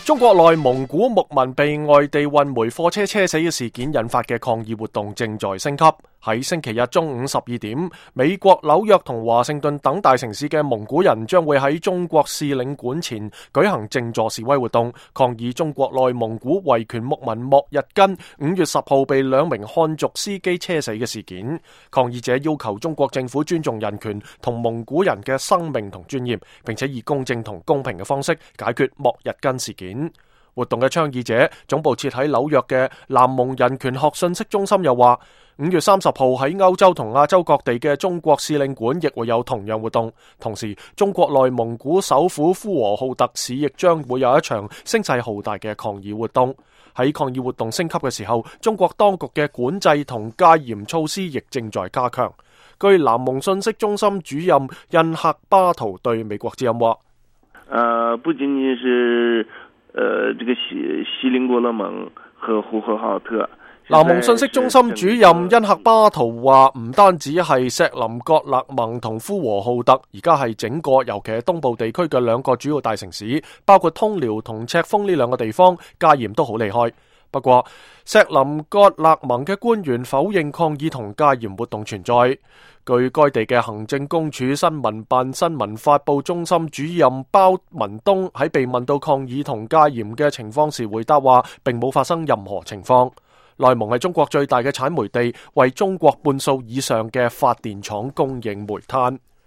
中國內蒙古牧民被外地運煤貨車車死嘅事件引發嘅抗議活動正在升級。喺星期日中午12點，美國紐約同華盛頓等大城市嘅蒙古人將會喺中國使領館前舉行靜坐示威活動，抗議中國內蒙古維權牧民莫日根5月10號被2名漢族司機車死嘅事件。抗議者要求中國政府尊重人權同蒙古人嘅生命同尊嚴，並且以公正同公平嘅方式解決莫日根事件。活動嘅倡議者總部設喺紐約嘅南蒙人權學信息中心又話，5月30號喺歐洲同亞洲各地嘅中國使領館亦會有同樣活動。同時，中國內蒙古首府呼和浩特市亦將會有一場聲勢浩大嘅抗議活動。喺抗議活動升級嘅時候，中國當局嘅管制同戒嚴措施亦正在加強。據南蒙信息中心主任印赫巴圖對美國之音話：不僅僅是這個锡林郭勒盟和呼和浩特。南蒙信息中心主任因赫巴圖話，唔單止係錫林郭勒盟同呼和浩特，而家係整個，尤其係東部地區嘅2個主要大城市，包括通遼同赤峰呢2個地方，戒嚴都好厲害。不過，錫林郭勒盟嘅官員否認抗議同戒嚴活動存在。據該地嘅行政公署新聞辦新聞發佈中心主任包文東喺被問到抗議同戒嚴嘅情況時回答話，並冇發生任何情況。內蒙係中國最大嘅產煤地，為中國半數以上嘅發電廠供應煤炭。